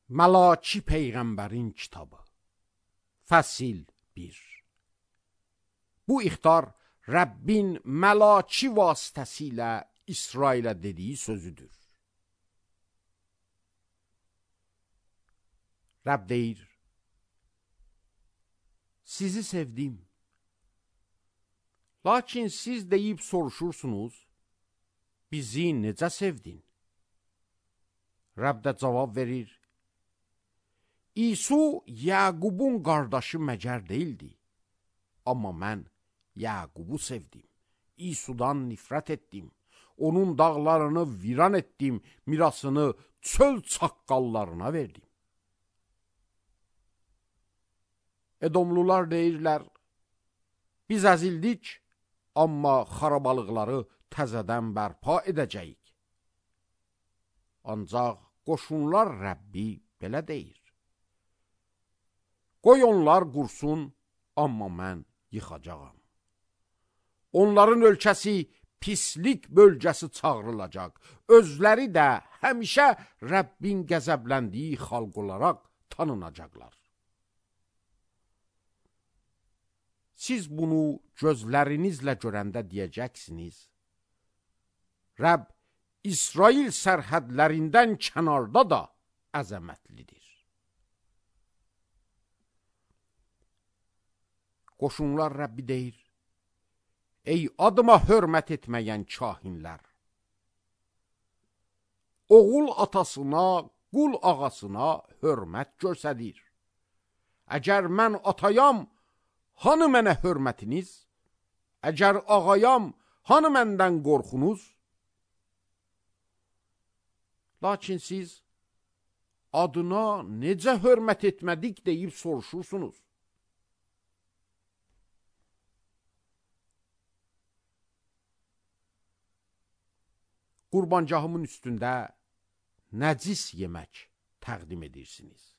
Məlaki Peyğəmbərin kitabı Fəsil 1. Bu ixtar Rəbbin məlaki vasitəsilə İsrailə dediyi sözüdür. Rəbb deyir: sizi sevdim. Lakin siz deyib soruşursunuz, bizi necə sevdin? Rəbb də cavab verir: İsu Yaqubun qardaşı məgər deyildi. Amma mən Yaqubu sevdim. İsudan nifrət etdim. Onun dağlarını viran etdim. Mirasını çöl çaqqallarına verdim. Edomlular deyirlər: biz əzildik, amma xarabalıqları təzədən bərpa edəcəyik. Ancaq qoşunlar Rəbbi belə deyir: qoy onlar qursun, amma mən yıxacağam. Onların ölkəsi pislik bölgəsi çağırılacaq. Özləri də həmişə Rəbbin qəzəbləndiyi xalq olaraq tanınacaqlar. Siz bunu gözlərinizlə görəndə deyəcəksiniz: Rəbb İsrail sərhədlərindən kənarda da əzəmətlidir. Qoşunlar Rəbbi deyir: ey adıma hörmət etməyən kahinlər! Oğul atasına, qul ağasına hörmət göstərir. Əgər mən atayam, hanı mənə hörmətiniz? Əgər ağayam, hanı məndən qorxunuz? Lakin siz adına necə hörmət etmədik deyib soruşursunuz. Qurbancahımın üstündə nəcis yemək təqdim edirsiniz.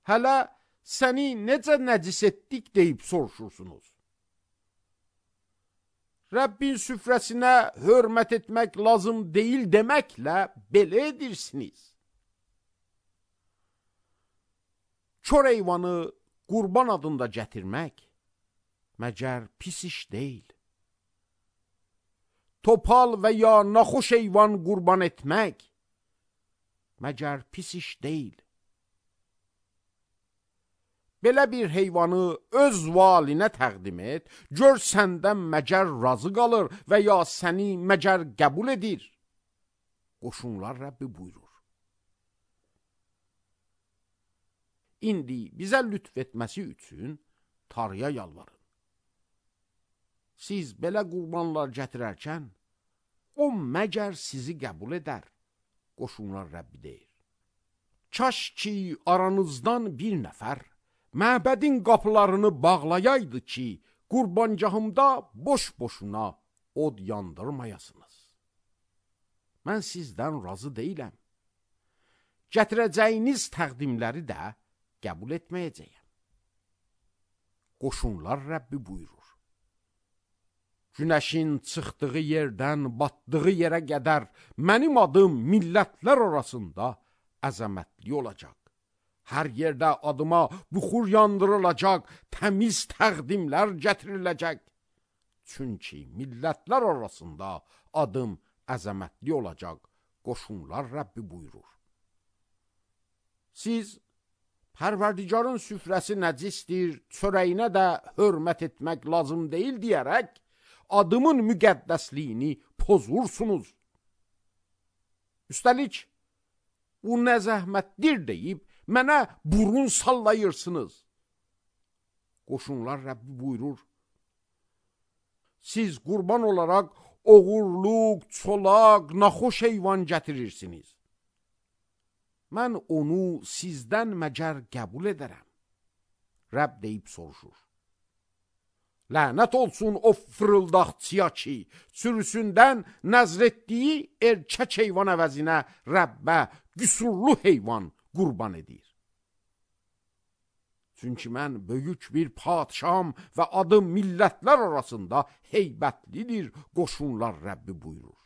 Hələ səni necə nəcis etdik deyib soruşursunuz. Rəbbin süfrəsinə hörmət etmək lazım deyil deməklə belə edirsiniz. Kör heyvanı qurban adında gətirmək məgər pis iş deyil. Topal və ya naxoş heyvan qurban etmək məgər pis iş deyil. Belə bir heyvanı öz valinə təqdim et, gör səndən məgər razı qalır və ya səni məgər qəbul edir. Qoşunlar Rəbbi buyurur: İndi bizə lütf etməsi üçün Tanrıya yalvarın. Siz belə qurbanlar gətirərkən, o məgər sizi qəbul edər. Qoşunlar Rəbbi deyir: kaş ki aranızdan bir nəfər məbədin qapılarını bağlayaydı ki, qurbancahımda boş-boşuna od yandırmayasınız. Mən sizdən razı deyiləm. Gətirəcəyiniz təqdimləri də qəbul etməyəcəyəm. Qoşunlar Rəbbi buyurur: günəşin çıxdığı yerdən batdığı yerə qədər mənim adım millətlər arasında əzəmətli olacaq. Hər yerdə adıma buxur yandırılacaq, təmiz təqdimlər gətiriləcək. Çünki millətlər arasında adım əzəmətli olacaq. Qoşunlar Rəbbi buyurur: siz Pərverdigarın süfrəsi nəcisdir, çörəyinə də hörmət etmək lazım deyil deyərək, adımın müqəddəsliyini pozursunuz. Üstəlik, bu nə zəhmətdir deyib, mənə burun sallayırsınız. Qoşunlar Rəbbi buyurur: siz qurban olaraq oğurluq, çolaq, naxoş heyvan gətirirsiniz. Mən onu sizdən məgər qəbul edərəm. Rəbb deyib soruşur: lənət olsun o fırıldaqçıya ki, sürüsündən nəzr etdiyi erkək heyvan əvəzinə Rəbbə qüsurlu heyvan qurban edir. Çünki mən böyük bir padşaham və adım millətlər arasında heybətlidir. Qoşunlar Rəbbi buyurur: